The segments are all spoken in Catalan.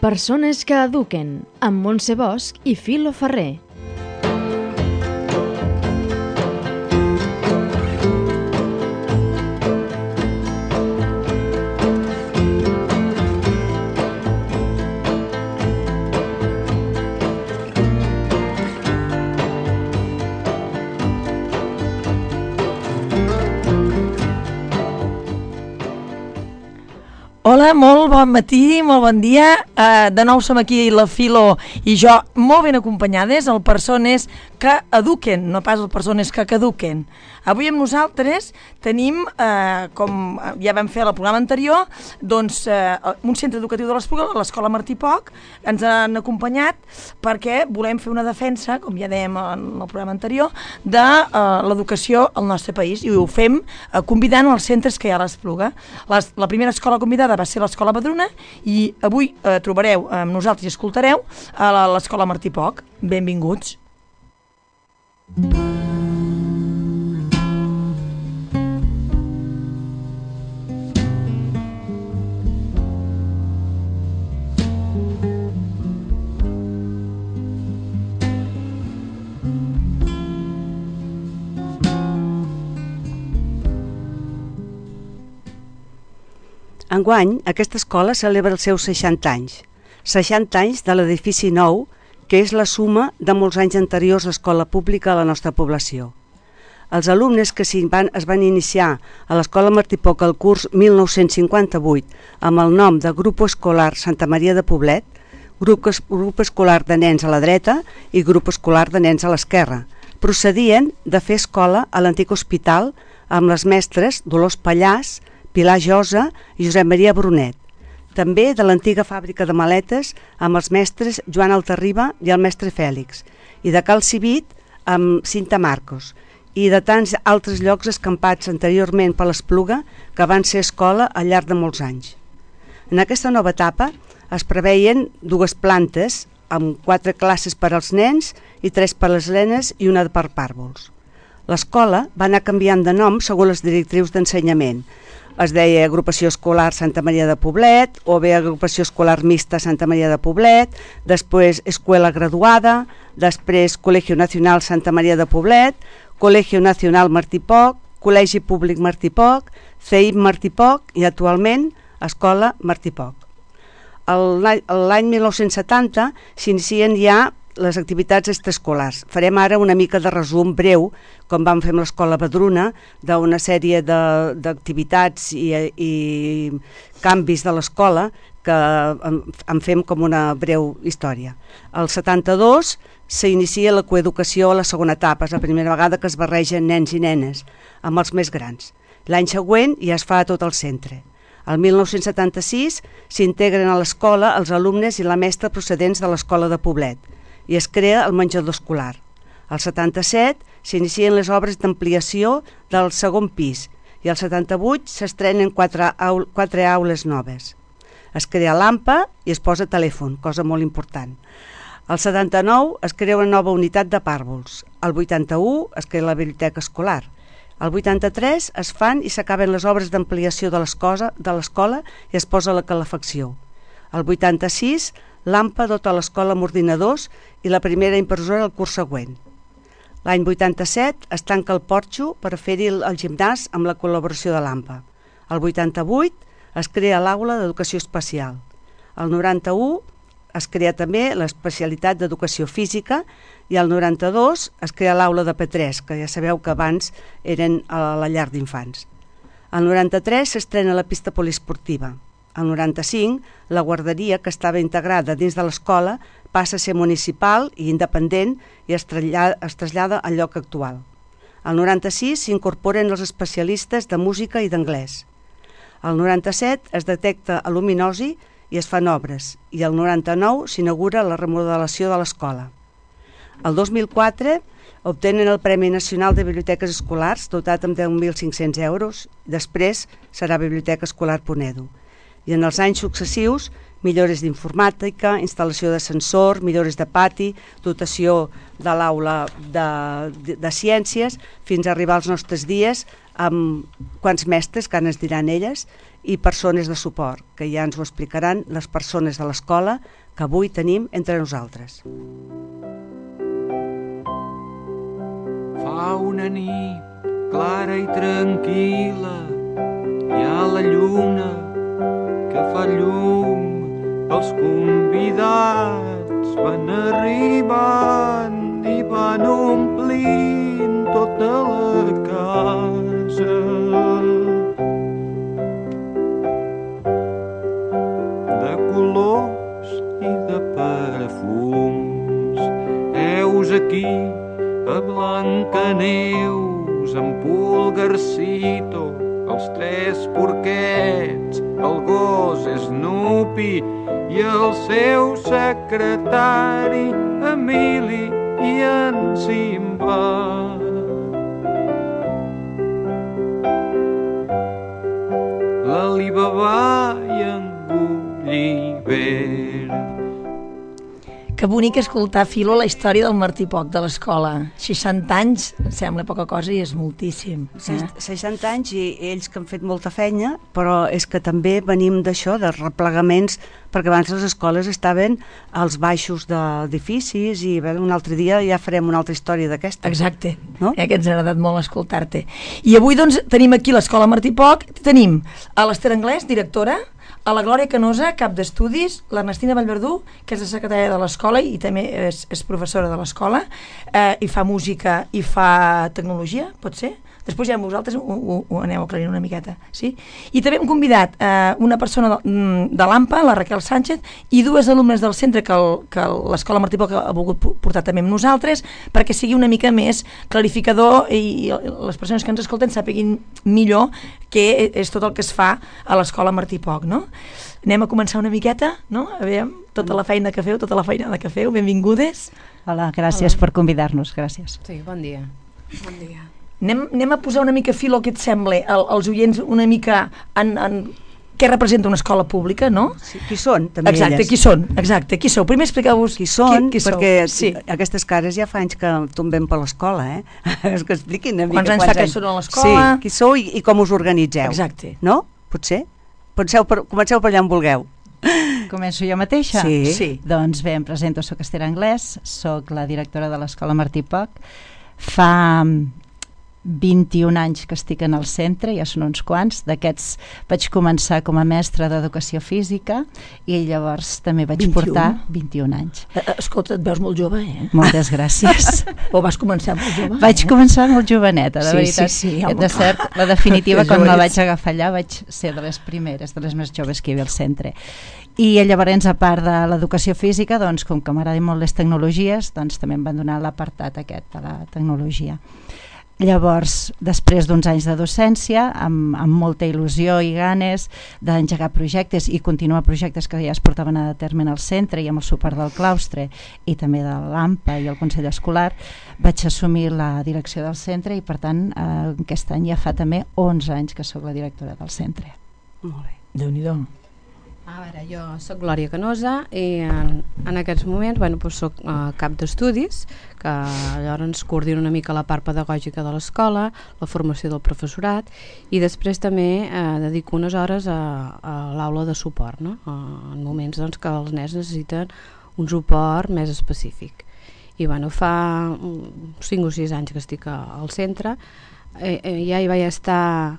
Persones que eduquen, amb Montse Bosch i Filo Ferrer. Hola, molt bon matí, molt bon dia. De nou som aquí la Filo i jo molt ben acompanyades, el Persones que eduquen, no pas el Persones que caduquen. Avui amb nosaltres tenim, com ja vam fer al programa anterior, doncs, un centre educatiu de l'Espluga, l'Escola Martí Poch. Ens han acompanyat perquè volem fer una defensa, com ja dèiem en el programa anterior, de l'educació al nostre país, i ho fem convidant els centres que hi ha a l'Espluga. La primera escola convidada va ser l'Escola Badruna i avui trobareu amb nosaltres i escoltareu a l'Escola Martí Poch. Benvinguts. Enguany, aquesta escola celebra els seus 60 anys. 60 anys de l'edifici nou, que és la suma de molts anys anteriors a l'escola pública a la nostra població. Els alumnes que es van iniciar a l'Escola Martí Poch al curs 1958 amb el nom de Grup Escolar Santa Maria de Poblet, grup escolar de nens a la dreta i grup escolar de nens a l'esquerra, procedien de fer escola a l'antic hospital amb les mestres Dolors Pallàs, Pilar Josa i Josep Maria Brunet. També de l'antiga fàbrica de maletes amb els mestres Joan Altarriba i el mestre Fèlix, i de Cal Civit amb Cinta Marcos, i de tants altres llocs escampats anteriorment per l'Espluga que van ser escola al llarg de molts anys. En aquesta nova etapa es preveien 2 plantes amb 4 classes per als nens i 3 per les nenes i una per pàrvols. L'escola va anar canviant de nom segons les directrius d'ensenyament. Es deia Agrupació Escolar Santa Maria de Poblet, o bé Agrupació Escolar Mixta Santa Maria de Poblet, després Escuela Graduada, després Colegio Nacional Santa Maria de Poblet, Colegio Nacional Martí Poch, Col·legi Públic Martí Poch, CEIP Martí Poch i actualment Escola Martí Poch. L'any 1970 s'inicien ja les activitats extraescolars. Farem ara una mica de resum breu, com vam fer amb l'Escola Badruna, d'una sèrie d'activitats i canvis de l'escola que en fem com una breu història. Al 72 s'inicia la coeducació a la segona etapa, és la primera vegada que es barregen nens i nenes amb els més grans. L'any següent ja es fa a tot el centre. El 1976 s'integren a l'escola els alumnes i la mestra procedents de l'Escola de Poblet i es crea el menjador escolar. Al 77 s'inicien les obres d'ampliació del segon pis i al 78 s'estrenen 4 aules noves. Es crea l'AMPA i es posa telèfon, cosa molt important. Al 79 es crea una nova unitat de pàrvols. Al 81 es crea la biblioteca escolar. Al 83 es fan i s'acaben les obres d'ampliació de l'escola i es posa la calefacció. Al 86 l'AMPA dota l'escola amb ordinadors i la primera impressora el curs següent. L'any 87 es tanca el porxo per fer-hi el gimnàs amb la col·laboració de l'AMPA. Al 88 es crea l'aula d'educació especial. Al 91 es crea també l'especialitat d'educació física i al 92 es crea l'aula de P3, que ja sabeu que abans eren a la llar d'infants. Al 93 s'estrena la pista poliesportiva. Al 95, la guarderia, que estava integrada dins de l'escola, passa a ser municipal i independent i es trasllada al lloc actual. Al 96 s'incorporen els especialistes de música i d'anglès. Al 97 es detecta aluminosi i es fan obres, i al 99 s'inaugura la remodelació de l'escola. El 2004 obtenen el Premi Nacional de Biblioteques Escolars, dotat amb 10.500 euros, després serà Biblioteca Escolar Ponedo. I en els anys successius, millores d'informàtica, instal·lació de sensor, millores de pati, dotació de l'aula de ciències, fins a arribar als nostres dies amb quants mestres, que ens diran elles, i persones de suport, que ja ens ho explicaran les persones de l'escola que avui tenim entre nosaltres. Fa una nit clara i tranquil·la, hi ha la lluna que fa llum, els convidats van arribant i van omplint tota la casa. De colors i de perfums, heus aquí a Blancaneus, en Pulgarcito, els tres porquets, el gos Snoopy i el seu secretari Emili i en Simba. L'Alibaba i en Gulliver. Que bonic escoltar, Filo, la història del Martí Poc de l'escola. 60 anys, sembla poca cosa i és moltíssim. 60 anys i ells que han fet molta feina, però és que també venim d'això, de replegaments, perquè abans les escoles estaven als baixos d'edificis i un altre dia ja farem una altra història d'aquesta. Exacte, no? Que ens ha agradat molt escoltar-te. I avui doncs tenim aquí l'escola Martí Poc, tenim a l'Ester Anglès, directora, a la Glòria Canosa, cap d'estudis, l'Ernestina Vallverdú, que és la secretària de l'escola i també és professora de l'escola, i fa música i fa tecnologia, pot ser? Després ja amb vosaltres ho aneu aclarint una miqueta, sí? I també hem convidat una persona de l'AMPA, la Raquel Sánchez, i dues alumnes del centre que l'escola Martí Poc ha volgut portar també amb nosaltres, perquè sigui una mica més clarificador i les persones que ens escolten sàpiguin millor què és tot el que es fa a l'escola Martí Poc, no? Anem a començar una miqueta, no? A veure, tota la feina que feu, tota la feinada que feu, benvingudes. Hola, gràcies per convidar-nos, gràcies. Sí, bon dia. Bon dia. Anem a posar una mica fil, que et sembla, als oients una mica en què representa una escola pública, no? Sí, qui són, també exacte, elles. Qui són, exacte, qui sou? Primer expliqueu-vos qui són, qui perquè sí. Aquestes cares ja fa anys que tombem per l'escola, És que expliquin una mica quants anys fa que són a l'escola. Sí, qui sou i com us organitzeu. Exacte. No? Potser? Comenceu per allà on vulgueu. Començo jo mateixa? Sí. Doncs bé, em presento, soc Ester Anglès, soc la directora de l'escola Martí Poc. Fa 21 anys que estic en el centre, ja són uns quants. D'aquests vaig començar com a mestra d'educació física i llavors també vaig portar 21 anys. Escolta, et veus molt jove, Moltes gràcies. O vas començar molt jove? Vaig començar molt joveneta, de veritat. Sí, de cert, la definitiva, quan la vaig agafar allà, vaig ser de les primeres, de les més joves que hi havia al centre. I llavors, a part de l'educació física, doncs, com que m'agraden molt les tecnologies, doncs també em van donar l'apartat aquest de la tecnologia. Llavors, després d'uns anys de docència, amb molta il·lusió i ganes d'engegar projectes i continuar projectes que ja es portaven a terme al centre i amb el suport del claustre i també de l'AMPA i el Consell Escolar, vaig assumir la direcció del centre i, per tant, aquest any ja fa també 11 anys que sóc la directora del centre. Molt bé. Déu-n'hi-do. A veure, jo soc Glòria Canosa i en aquests moments soc cap d'estudis, que llavors coordino una mica la part pedagògica de l'escola, la formació del professorat, i després també dedico unes hores a l'aula de suport, no? En moments que els nens necessiten un suport més específic. I fa 5 o 6 anys que estic al centre, ja hi vaig estar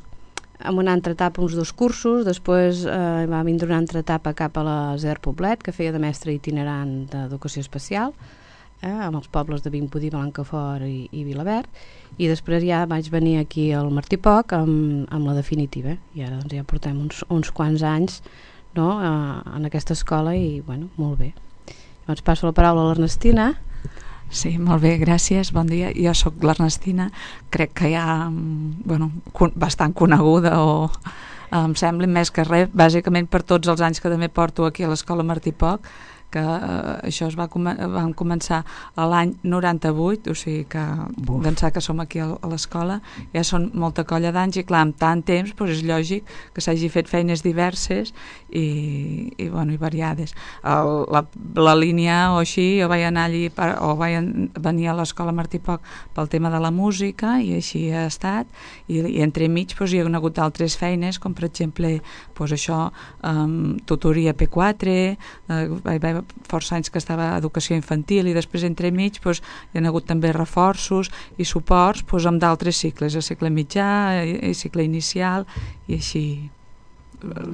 en una altra etapa uns 2 cursos, després va vindre una altra etapa cap a la ZER Poblet, que feia de mestre itinerant d'educació especial, amb els pobles de Vimbodí, Blancafort i Vilaverd, i després ja vaig venir aquí al Martí Poc amb la definitiva, i ara ja portem uns quants anys, no, en aquesta escola i molt bé. Llavors passo la paraula a l'Ernestina. Sí, molt bé, gràcies, bon dia. Jo sóc l'Ernestina, crec que ja bastant coneguda o em sembla més que res, bàsicament per tots els anys que també porto aquí a l'escola Martí Poc, que això vam començar a l'any 98, o sigui que d'ençà que som aquí a l'escola ja són molta colla d'anys i clar, amb tant temps és lògic que s'hagi fet feines diverses i variades. La línia o així, jo vaig anar allí o vaig venir a l'escola Martí Poch pel tema de la música i així ha estat i entremig hi ha hagut altres feines com per exemple això, tutoria P4, vaig haver força anys que estava a educació infantil i després entremig hi ha hagut també reforços i suports amb d'altres cicles, el cicle mitjà i cicle inicial i així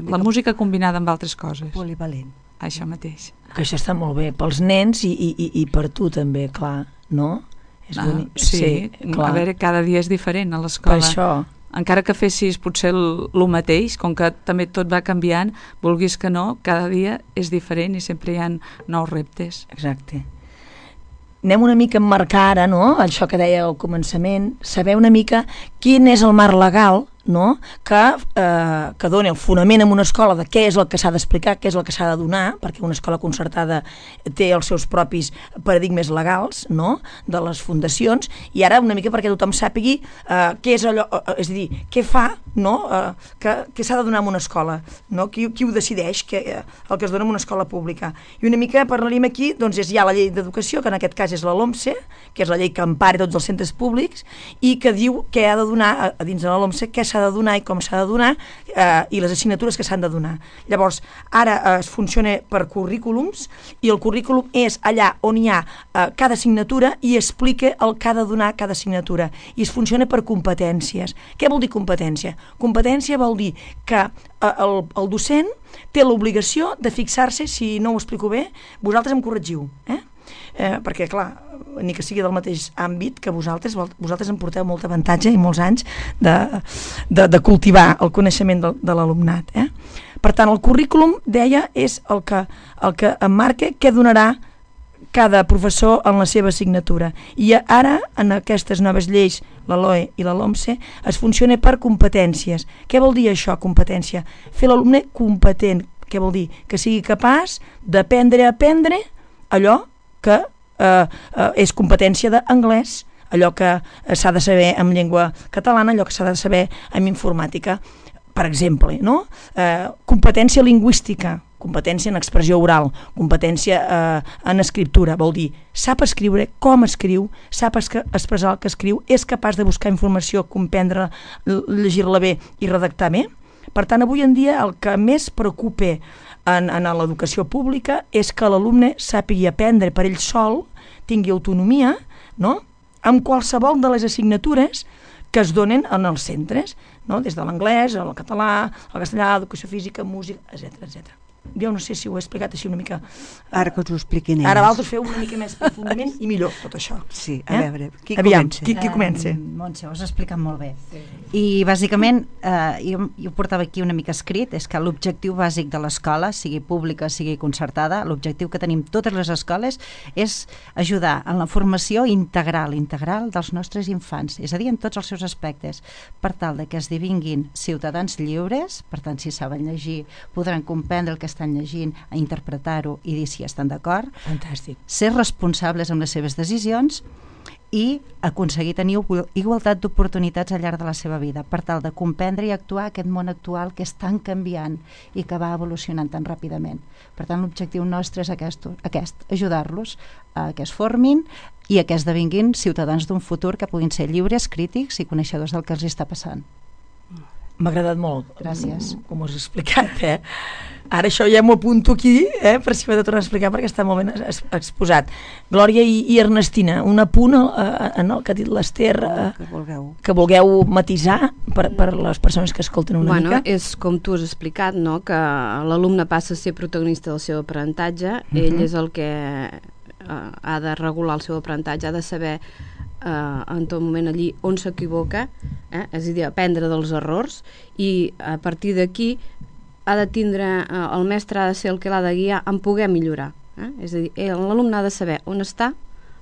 la música combinada amb altres coses. Polivalent. Això mateix. Que això està molt bé pels nens i per tu també, clar, no? És bonic. Sí, clar. A veure, cada dia és diferent a l'escola. Per això. Encara que fessis potser el mateix, com que també tot va canviant, vulguis que no, cada dia és diferent i sempre hi ha nous reptes. Exacte. Anem una mica a emmarcar ara, no?, això que deia al començament, saber una mica quin és el marc legal, no?, que doni el fonament en una escola de què és el que s'ha d'explicar, què és el que s'ha de donar, perquè una escola concertada té els seus propis paradigmes legals, no?, de les fundacions, i ara una mica perquè tothom sàpigui què és allò, és a dir, què fa, no?, què s'ha de donar en una escola, no?, qui ho decideix, el que es dona en una escola pública. I una mica parlaríem aquí, doncs hi ha la llei d'educació, que en aquest cas és la LOMSE, que és la llei que empara tots els centres públics, i que diu què ha de donar a dins de la LOMSE, què s'ha de donar i com s'ha de donar i les assignatures que s'han de donar. Llavors, ara es funciona per currículums i el currículum és allà on hi ha cada assignatura i explica el que ha de donar cada assignatura i es funciona per competències. Què vol dir competència? Competència vol dir que el docent té l'obligació de fixar-se, si no ho explico bé, vosaltres em corregiu, perquè clar, ni que sigui del mateix àmbit que vosaltres em porteu molt avantatge i molts anys de cultivar el coneixement de l'alumnat. Per tant, el currículum, deia, és el que emmarca què donarà cada professor en la seva assignatura. I ara, en aquestes noves lleis, la LOE i la LOMSE, es funciona per competències. Què vol dir això, competència? Fer l'alumne competent. Què vol dir? Que sigui capaç d'aprendre a aprendre allò que és competència d'anglès, allò que s'ha de saber en llengua catalana, allò que s'ha de saber en informàtica, per exemple, no? Competència lingüística, competència en expressió oral, competència en escriptura, vol dir sap escriure, com escriu, sap expressar el que escriu, és capaç de buscar informació, comprendre, llegir-la bé i redactar bé. Per tant, avui en dia el que més preocupa en l'educació pública és que l'alumne sàpigui aprendre per ell sol, tingui autonomia, no?, amb qualsevol de les assignatures que es donen en els centres, no?, des de l'anglès, el català, el castellà, educació física, música, etc. Jo no sé si ho he explicat així una mica. Ara que us ho expliquin ells. Ara vosaltres feu una mica més profundament i millor tot això. Sí, a veure, qui comença? Qui comença? Montse, ho has explicat molt bé. Sí. I bàsicament, jo portava aquí una mica escrit, és que l'objectiu bàsic de l'escola, sigui pública, sigui concertada, l'objectiu que tenim totes les escoles és ajudar en la formació integral dels nostres infants, és a dir, en tots els seus aspectes, per tal de que esdevinguin ciutadans lliures, per tant, si saben llegir, podran comprendre el que estan llegint, a interpretar-ho i dir si estan d'acord. Fantàstic. Ser responsables amb les seves decisions i aconseguir tenir igualtat d'oportunitats al llarg de la seva vida, per tal de comprendre i actuar aquest món actual que és tan canviant i que va evolucionant tan ràpidament. Per tant, l'objectiu nostre és aquest, ajudar-los a que es formin i a que esdevinguin ciutadans d'un futur que puguin ser lliures, crítics i coneixedors del que els està passant. M'ha agradat molt. Gràcies. Com ho has explicat, Ara això ja m'ho apunto aquí, per si m'he de tornar a explicar, perquè està molt ben exposat. Glòria i Ernestina, un apunt en el que ha dit l'Ester, que vulgueu matisar per les persones que escolten una mica. És com tu has explicat, no?, que l'alumne passa a ser protagonista del seu aprenentatge, ell és el que ha de regular el seu aprenentatge, ha de saber en tot moment allí on s'equivoca, és a dir, aprendre dels errors, i a partir d'aquí ha de tindre, el mestre ha de ser el que l'ha de guiar en poder millorar, és a dir, l'alumne ha de saber on està,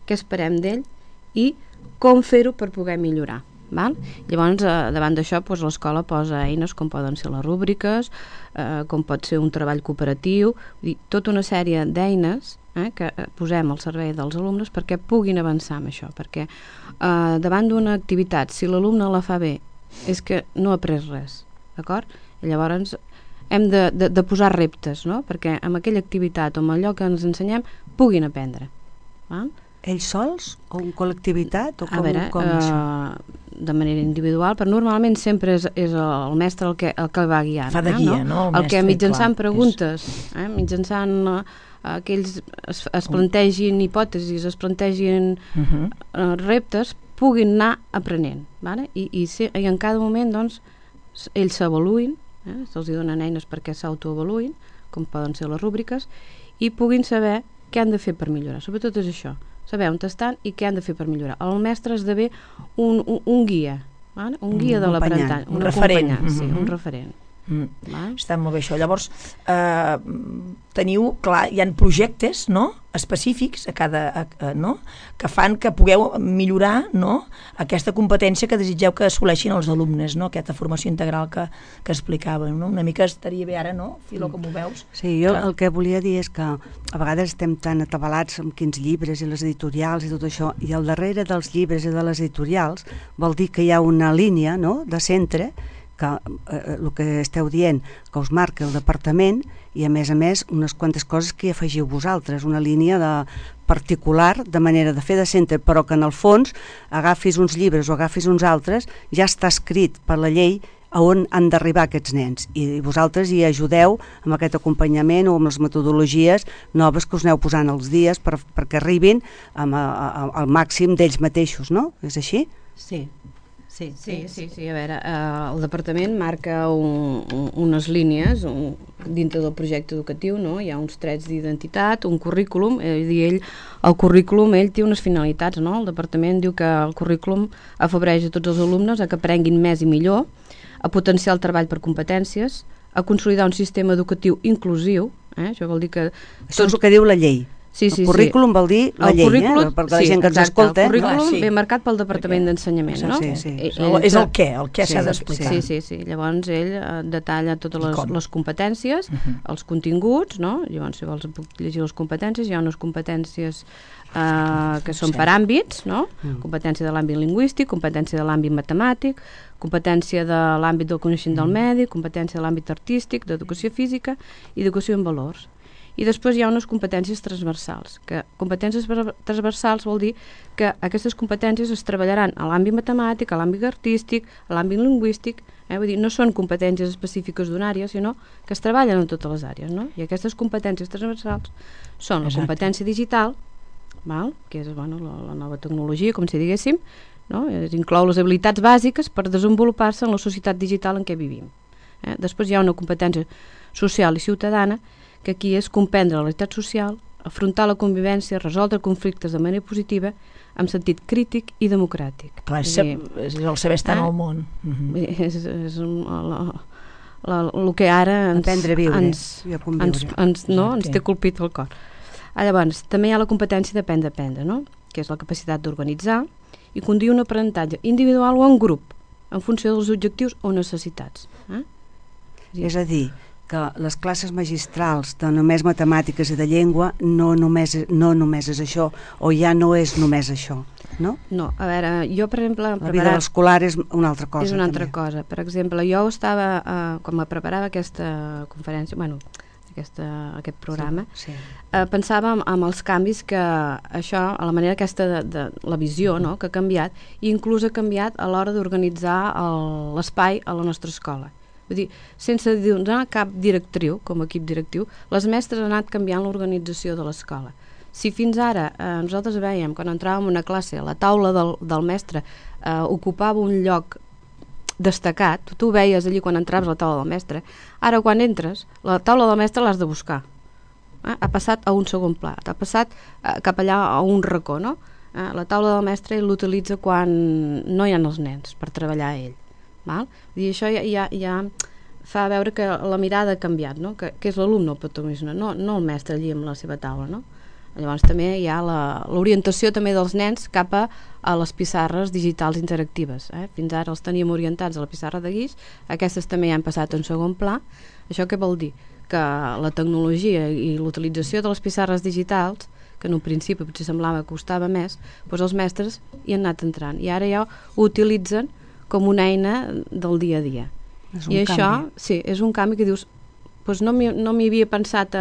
què esperem d'ell i com fer-ho per poder millorar. Val? Llavors, davant d'això, doncs, l'escola posa eines com poden ser les rúbriques, com pot ser un treball cooperatiu, vull dir, tota una sèrie d'eines que posem al servei dels alumnes perquè puguin avançar amb això, perquè davant d'una activitat, si l'alumne la fa bé, és que no ha après res, d'acord? I llavors hem de posar reptes, no? Perquè amb aquella activitat o amb allò que ens ensenyem puguin aprendre. Val? Ells sols o en col·lectivitat? O com, a veure, de manera individual, però normalment sempre és el mestre el que va guiant. Fa de guia, no? El que mitjançant preguntes, mitjançant que ells es plantegin hipòtesis, es plantegin reptes, puguin anar aprenent. Vale? I en cada moment, doncs, ells s'avaluïn, se'ls donen eines perquè s'autoavaluïn, com poden ser les rúbriques, i puguin saber què han de fer per millorar. Sobretot és això, saber on estan i què han de fer per millorar. El mestre esdevé un guia, un guia de l'aprenentatge, un referent. Un referent. Està molt bé això. Llavors, teniu, clar, hi ha projectes, no?, específics a cada, no?, que fan que pugueu millorar, no?, aquesta competència que desitgeu que assoleixin els alumnes, no?, aquesta formació integral que explicàvem, no? Una mica estaria bé ara, no, Filo, com ho veus? Sí, jo el que volia dir és que a vegades estem tan atabalats amb quins llibres i les editorials i tot això, i al darrere dels llibres i de les editorials vol dir que hi ha una línia, no?, de centre, que el que esteu dient, que us marca el departament, i a més unes quantes coses que hi afegiu vosaltres, una línia particular de manera de fer de centre, però que en el fons agafis uns llibres o agafis uns altres, ja està escrit per la llei a on han d'arribar aquests nens, i vosaltres hi ajudeu amb aquest acompanyament o amb les metodologies noves que us aneu posant els dies perquè arribin al màxim d'ells mateixos, no? És així? Sí. Sí, a veure, el departament marca unes línies dintre del projecte educatiu, no? Hi ha uns trets d'identitat, un currículum, el currículum té unes finalitats, no? El departament diu que el currículum afavoreix a tots els alumnes a que aprenguin més i millor, a potenciar el treball per competències, a consolidar un sistema educatiu inclusiu, això vol dir que... Això és el que diu la llei. Sí, el currículum vol dir la llei, perquè la gent que ens escolta... El currículum ve marcat pel Departament d'Ensenyament, no? Sí. És el què s'ha d'explicar. Sí, llavors ell detalla totes les competències, els continguts, no? Llavors, si vols puc llegir les competències, hi ha unes competències que són per àmbits, no? Competència de l'àmbit lingüístic, competència de l'àmbit matemàtic, competència de l'àmbit del coneixement del medi, competència de l'àmbit artístic, d'educació física i educació en valors. I després hi ha unes competències transversals, que competències transversals vol dir que aquestes competències es treballaran a l'àmbit matemàtic, a l'àmbit artístic, a l'àmbit lingüístic, vull dir, no són competències específiques d'una àrea, sinó que es treballen en totes les àrees, no? I aquestes competències transversals són la competència digital, que és la nova tecnologia, com si diguéssim, no? Inclou les habilitats bàsiques per desenvolupar-se en la societat digital en què vivim. Després hi ha una competència social i ciutadana, que aquí és comprendre la realitat social, afrontar la convivència, resoldre conflictes de manera positiva, amb sentit crític i democràtic. Clar, és el saber estar en el món. És el que ara ens té colpit el cor. Llavors, també hi ha la competència d'aprendre, no? Que és la capacitat d'organitzar i conduir un aprenentatge individual o en grup, en funció dels objectius o necessitats. És a dir, que les classes magistrals de només matemàtiques i de llengua no només és això, o ja no és només això, no? No, a veure, jo per exemple... La vida escolar és una altra cosa. És una altra cosa. Per exemple, jo estava, quan me preparava aquesta conferència, aquest programa, pensava en els canvis que això, a la manera aquesta de la visió, no?, que ha canviat, i inclús ha canviat a l'hora d'organitzar l'espai a la nostra escola. Vull dir, sense donar cap directriu, com a equip directiu, les mestres han anat canviant l'organització de l'escola. Si fins ara nosaltres veiem, quan entràvem en una classe, la taula del mestre ocupava un lloc destacat, tu veies allí quan entraves a la taula del mestre, ara quan entres, la taula del mestre l'has de buscar. Ha passat a un segon pla, ha passat cap allà a un racó, no? La taula del mestre l'utilitza quan no hi ha els nens per treballar a ell. I això ja fa veure que la mirada ha canviat, no? Que és l'alumne el protagonista, no el mestre allí amb la seva taula, no? Llavors també hi ha l'orientació també dels nens cap a les pissarres digitals interactives. Fins ara els teníem orientats a la pissarra de guix, aquestes també ja han passat en segon pla. Això què vol dir? Que la tecnologia i l'utilització de les pissarres digitals, que en un principi potser semblava que costava més, doncs els mestres hi han anat entrant i ara ja ho utilitzen com una eina del dia a dia. I això, sí, és un canvi que dius, doncs no m'hi havia pensat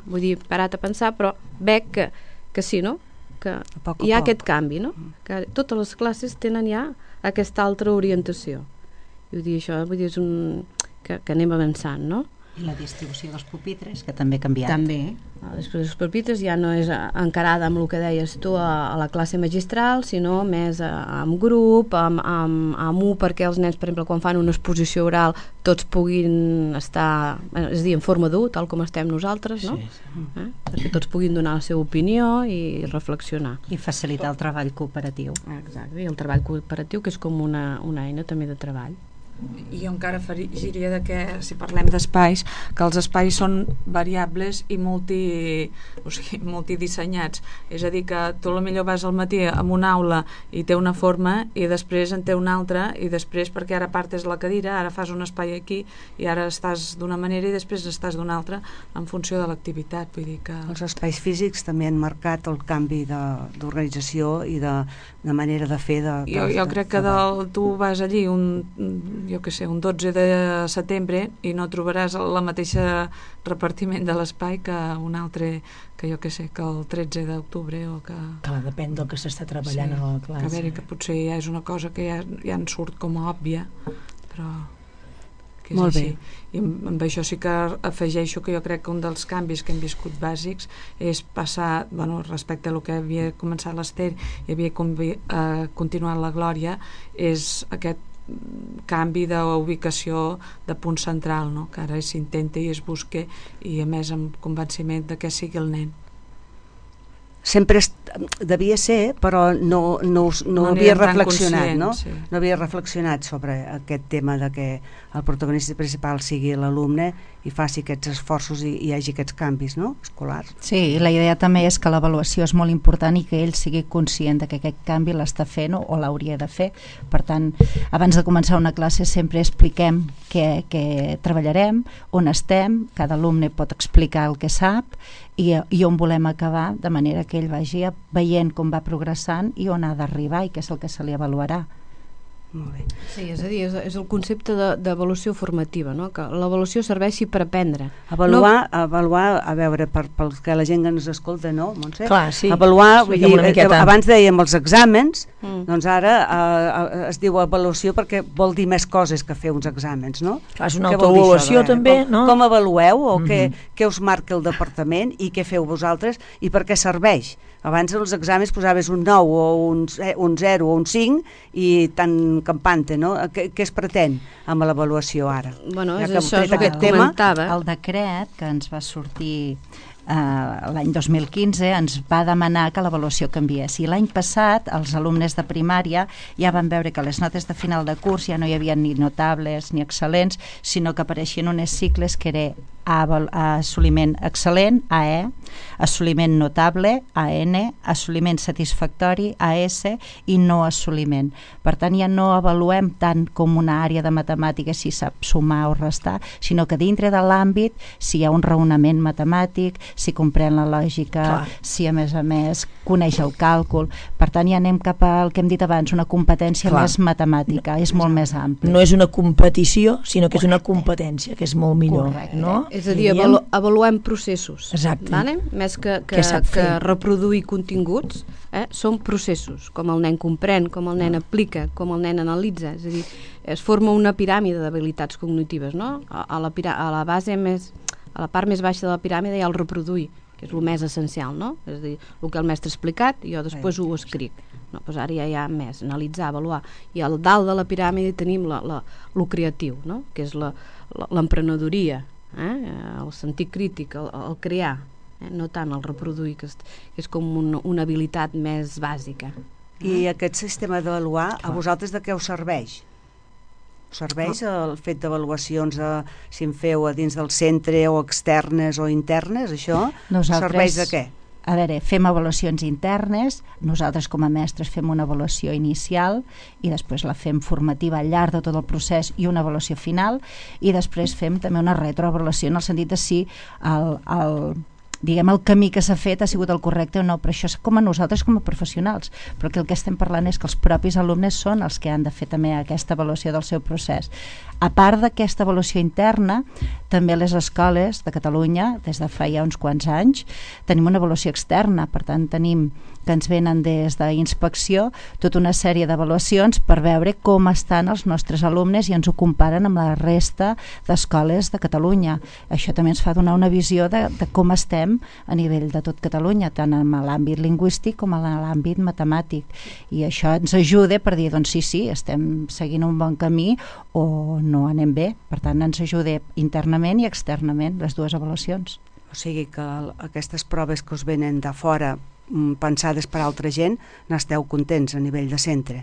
vull dir, parat a pensar, però veig que sí, no? Que hi ha aquest canvi, no? Que totes les classes tenen ja aquesta altra orientació. I vull dir, això és que anem avançant, no? I la distribució dels pupitres, que també ha canviat. També. Després els pupitres ja no és encarada amb el que deies tu a la classe magistral, sinó més amb grup, amb perquè els nens, per exemple, quan fan una exposició oral, tots puguin estar, és a dir, en forma d'U, tal com estem nosaltres, no? Sí. Perquè tots puguin donar la seva opinió i reflexionar. I facilitar el treball cooperatiu. Exacte, i el treball cooperatiu, que és com una eina també de treball. I jo encara afegiria que, si parlem d'espais, que els espais són variables i multidissenyats. És a dir, que tu potser vas al matí en una aula i té una forma i després en té una altra i després perquè ara partes la cadira, ara fas un espai aquí i ara estàs d'una manera i després estàs d'una altra en funció de l'activitat. Vull dir que... Els espais físics també han marcat el canvi d'organització i de manera de fer. Jo crec que tu vas allí un 12 de setembre i no trobaràs la mateixa repartiment de l'espai que un altre, que el 13 d'octubre o que... Clar, depèn del que s'està treballant a la classe. A veure, que potser ja és una cosa que ja en surt com a òbvia, però que és molt així. bé. I amb això sí que afegeixo que jo crec que un dels canvis que hem viscut bàsics és passar, respecte a el que havia començat l'Ester i havia continuat la Glòria, és aquest canvi d'ubicació de punt central, no? Que ara s'intenta i es busca i a més amb convenciment de que sigui el nen. Sempre devia ser, però no havia reflexionat, no? Sí. No havia reflexionat sobre aquest tema de que el protagonista principal sigui l'alumne i faci aquests esforços i hi hagi aquests canvis, no? Escolars. Sí, i la idea també és que l'avaluació és molt important i que ell sigui conscient de que aquest canvi l'està fent o l'hauria de fer. Per tant, abans de començar una classe sempre expliquem què treballarem, on estem, cada alumne pot explicar el que sap i on volem acabar, de manera que ell vagi veient com va progressant i on ha d'arribar i què és el que se li avaluarà. Molt bé. Sí, és a dir, és el concepte d'avaluació formativa, no? Que l'avaluació serveixi per aprendre. Avaluar, a veure, perquè la gent que ens escolta, no, Montse? Clar, sí. Avaluar, abans dèiem els exàmens, doncs ara es diu avaluació perquè vol dir més coses que fer uns exàmens, no? Clar, és una autoavaluació també, no? Com avalueu o què us marca el departament i què feu vosaltres i per què serveix? Abans als exàmens posaves un 9 o un 0 o un 5 i tan campante, no? Què es pretén amb l'avaluació ara? Bueno, és això el que et comentava. El decret que ens va sortir l'any 2015 ens va demanar que l'avaluació canviés i l'any passat els alumnes de primària ja van veure que les notes de final de curs ja no hi havia ni notables ni excel·lents, sinó que apareixien unes cicles que era assoliment excel·lent, AE, assoliment notable, AN, assoliment satisfactori, AS i no assoliment. Per tant, ja no avaluem tant com una àrea de matemàtiques si sap sumar o restar, sinó que dintre de l'àmbit si hi ha un raonament matemàtic, si comprèn la lògica, si a més coneix el càlcul. Per tant, ja anem cap al que hem dit abans, una competència més matemàtica, és molt més ampli. No és una competició, sinó que és una competència, que és molt millor. Correcte. No? És a dir, avaluem processos. Exacte. Vale? Més que reproduir continguts, són processos, com el nen comprèn, com el nen aplica, com el nen analitza. És a dir, es forma una piràmide d'habilitats cognitives, no? A la base a la part més baixa de la piràmide hi ha el reproduir, que és el més essencial, no? És a dir, el que el mestre ha explicat, jo després ho escric. No, doncs ara ja hi ha més, analitzar, avaluar. I al dalt de la piràmide tenim lo creatiu, no? Que és l'emprenedoria, el sentit crític, el crear, no tant el reproduir, que és com una habilitat més bàsica. I aquest sistema d'avaluar, a vosaltres de què us serveix? Us serveix el fet d'avaluacions si en feu a dins del centre o externes o internes, això? Serveix de què? a veure, fem avaluacions internes, nosaltres com a mestres fem una avaluació inicial i després la fem formativa al llarg de tot el procés i una avaluació final, i després fem també una retroavaluació en el sentit de si diguem, el camí que s'ha fet ha sigut el correcte o no, però això és com a nosaltres com a professionals, però que el que estem parlant és que els propis alumnes són els que han de fer també aquesta avaluació del seu procés. A part d'aquesta avaluació interna, també les escoles de Catalunya, des de fa ja uns quants anys, tenim una avaluació externa, per tant tenim que ens venen des d'inspecció tota una sèrie d'avaluacions per veure com estan els nostres alumnes i ens ho comparen amb la resta d'escoles de Catalunya. Això també ens fa donar una visió de com estem a nivell de tot Catalunya, tant en l'àmbit lingüístic com en l'àmbit matemàtic, i això ens ajuda per dir, doncs sí, estem seguint un bon camí o no anem bé, per tant ens ajuda internament i externament les dues avaluacions. O sigui que aquestes proves que us venen de fora pensades per altra gent, n'esteu contents a nivell de centre?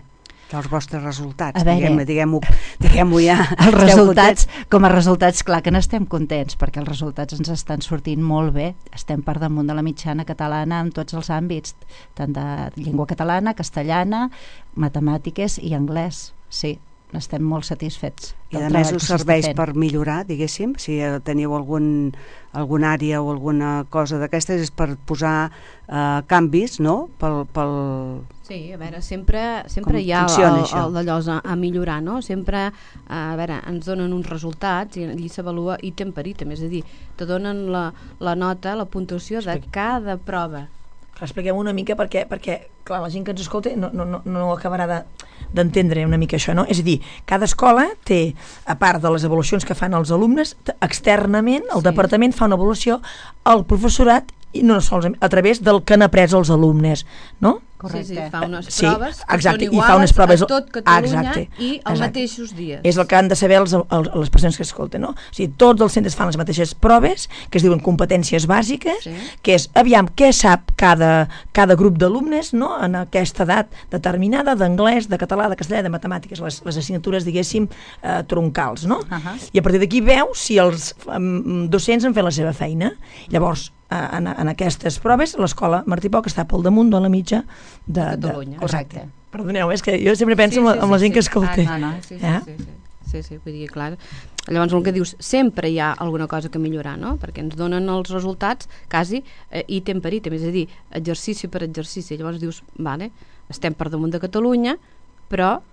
Els vostres resultats, diguem-ho ja. Els resultats, com a resultats, clar que n'estem contents, perquè els resultats ens estan sortint molt bé, estem per damunt de la mitjana catalana en tots els àmbits, tant de llengua catalana, castellana, matemàtiques i anglès, sí. Estem molt satisfets. I a més us serveix per millorar, diguéssim, si teniu alguna àrea o alguna cosa d'aquestes, és per posar canvis, no? Sí, a veure, sempre hi ha el d'allò a millorar, no? Sempre, a veure, ens donen uns resultats i allí s'avalua item per item, és a dir, te donen la nota, la puntuació de cada prova. Expliquem una mica perquè clar, la gent que ens escolta no acabarà d'entendre una mica això, no? És a dir, cada escola té, a part de les avaluacions que fan els alumnes, externament el departament fa una avaluació al professorat i no sols a través del que han après els alumnes, no? Correcte. Sí, fa unes proves que són iguals a tot Catalunya i als mateixos dies. És el que han de saber les persones que escolten, no? O sigui, tots els centres fan les mateixes proves, que es diuen competències bàsiques, que és, aviam, què sap cada grup d'alumnes, no?, en aquesta edat determinada, d'anglès, de català, de castellà, de matemàtiques, les assignatures, diguéssim, troncals, no? I a partir d'aquí veu si els docents han fet la seva feina. Llavors, en aquestes proves, l'escola Martí Poch està pel damunt de la mitja de Catalunya. Correcte. Perdoneu, és que jo sempre penso en la gent que escolta. Sí, vull dir, clar. Llavors el que dius, sempre hi ha alguna cosa que millorar, no? Perquè ens donen els resultats quasi ítem per ítem, és a dir, exercici per exercici. Llavors dius, vale, estem per damunt de Catalunya, però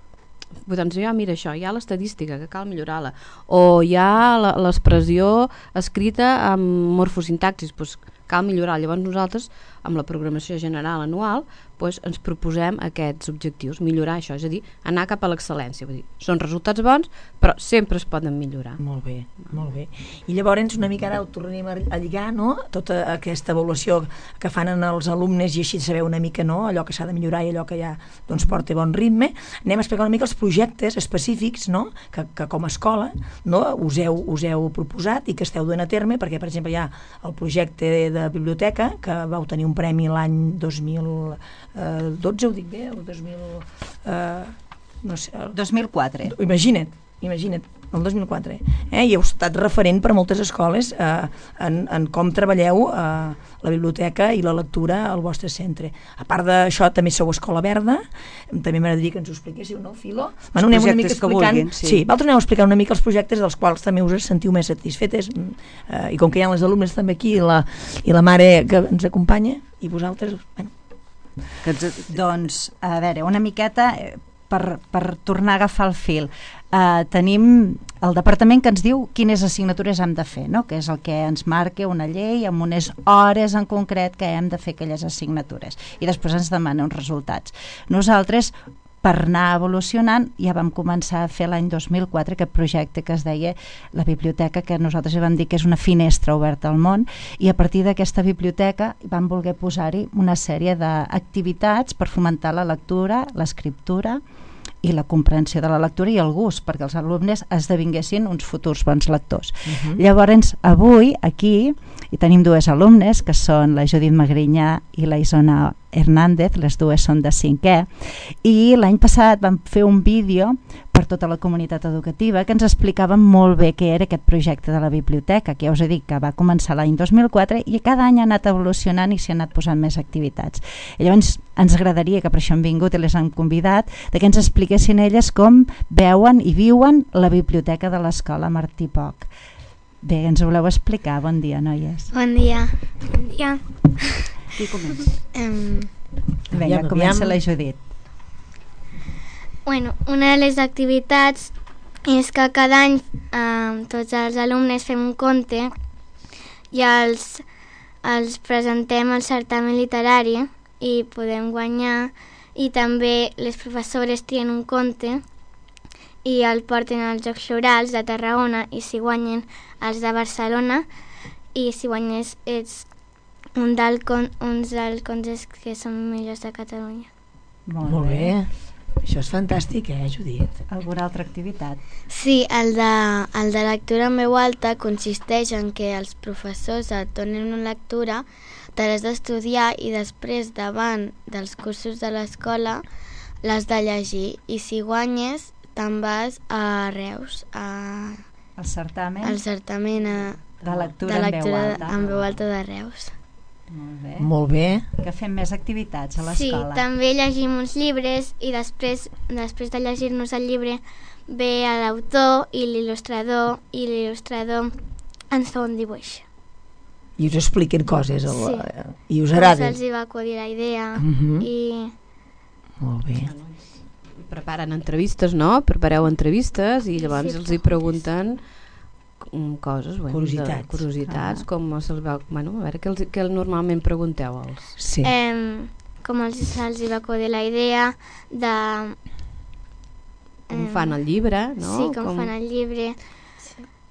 doncs ja mira això, hi ha l'estadística que cal millorar-la, o hi ha l'expressió escrita amb morfosintaxis, doncs cal millorar. Llavors nosaltres amb la programació general anual ens proposem aquests objectius, millorar això, és a dir, anar cap a l'excel·lència, vull dir, són resultats bons però sempre es poden millorar. Molt bé, molt bé. I llavors una mica ara ho tornem a lligar, no?, tota aquesta avaluació que fan els alumnes i així saber una mica, no?, allò que s'ha de millorar i allò que ja doncs porta bon ritme. Anem a explicar una mica els projectes específics, no?, que com a escola, no?, us heu proposat i que esteu duent a terme, perquè per exemple hi ha el projecte de biblioteca que vau tenir un premi l'any 2012, ho dic bé, el 2004. Imagina't, el 2004. I heu estat referent per a moltes escoles en com treballeu la biblioteca i la lectura al vostre centre. A part d'això, també sou Escola Verda, també m'agradaria que ens ho expliquéssiu, no, Filo? Els projectes que vulguin, sí. Vosaltres aneu explicant una mica els projectes dels quals també us sentiu més satisfetes, i com que hi ha les alumnes també aquí i la mare que ens acompanya, i vosaltres, bueno. Doncs, a veure, una miqueta per tornar a agafar el fil. Tenim el departament que ens diu quines assignatures hem de fer, no?, que és el que ens marca una llei amb unes hores en concret que hem de fer aquelles assignatures, i després ens demana uns resultats. Nosaltres, per anar evolucionant, ja vam començar a fer l'any 2004 aquest projecte que es deia la biblioteca, que nosaltres vam dir que és una finestra oberta al món, i a partir d'aquesta biblioteca vam voler posar-hi una sèrie d'activitats per fomentar la lectura, l'escriptura i la comprensió de la lectura i el gust, perquè els alumnes esdevinguessin uns futurs bons lectors. Llavors, avui, aquí, hi tenim dues alumnes, que són la Judit Magrinyà i la Isona Hernández, les dues són de 5è, i l'any passat vam fer un vídeo per tota la comunitat educativa, que ens explicaven molt bé què era aquest projecte de la biblioteca, que ja us he dit que va començar l'any 2004 i cada any ha anat evolucionant i s'hi han anat posant més activitats. I llavors ens agradaria, que per això han vingut i les han convidat, que ens expliquessin elles com veuen i viuen la biblioteca de l'escola Martí Poch. Bé, ens ho voleu explicar? Bon dia, noies. Bon dia. Bon dia. Qui comença? Vinga, comença la Judit. Bueno, una de les activitats és que cada any tots els alumnes fem un conte i els presentem al certamen literari i podem guanyar, i també les professores trien un conte i el porten als Jocs Florals de Tarragona, i si guanyen els de Barcelona, i si guanyes ets uns dels contes que són millors de Catalunya. Molt bé. Això és fantàstic, Judit? Alguna altra activitat? Sí, el de lectura en veu alta consisteix en que els professors et donen una lectura, te l'has d'estudiar i després, davant dels cursos de l'escola, l'has de llegir, i si guanyes te'n vas a Reus, al certamen de lectura en veu alta de Reus. Molt bé. Que fem més activitats a Sí, l'escola. també llegim uns llibres i després de llegir-nos el llibre ve l'autor i l'il·lustrador ens fa un dibuix. I us expliquen coses i us Com agrada. se'ls hi va acudir la idea i... Molt bé. Preparen entrevistes, no? Prepareu entrevistes i llavors els hi pregunten coses, curiositats, com se'ls va... Bueno, a veure, què normalment pregunteu als... Sí. Com se'ls hi va acudir la idea de... Com fan el llibre, no? Sí, com fan el llibre.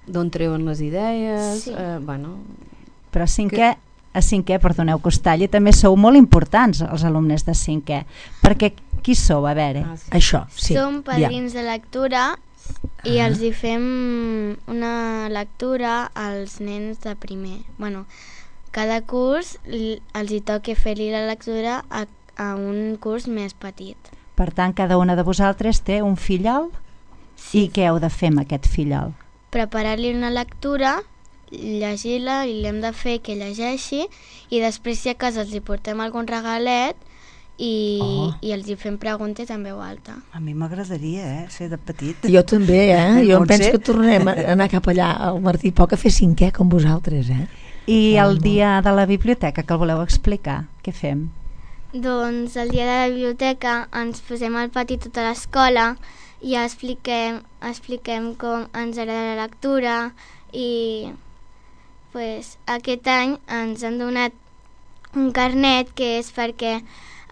D'on treuen les idees, Sí. bueno... Però a cinquè, perdoneu que us talli, també sou molt importants els alumnes de cinquè, perquè qui sou? A veure. Això, sí. Som padrins de lectura i els hi fem una lectura als nens de primer. Bueno, cada curs els hi toca fer-li la lectura a un curs més petit. Per tant, cada una de vosaltres té un fillol? I què heu de fer amb aquest fillol? Preparar-li una lectura, llegir-la i l'hem de fer que llegeixi, i després, si a casa els hi portem algun regalet i els hi fem preguntes en veu alta. A mi m'agradaria, ser de petit. Jo també, jo em penso Montse? que tornarem a anar cap allà al Martí Poch a fer cinquè com vosaltres, I el dia de la biblioteca, que el voleu explicar? Què fem? Doncs el dia de la biblioteca ens posem al pati tota l'escola i expliquem com ens agrada la lectura, i aquest any ens han donat un carnet que és perquè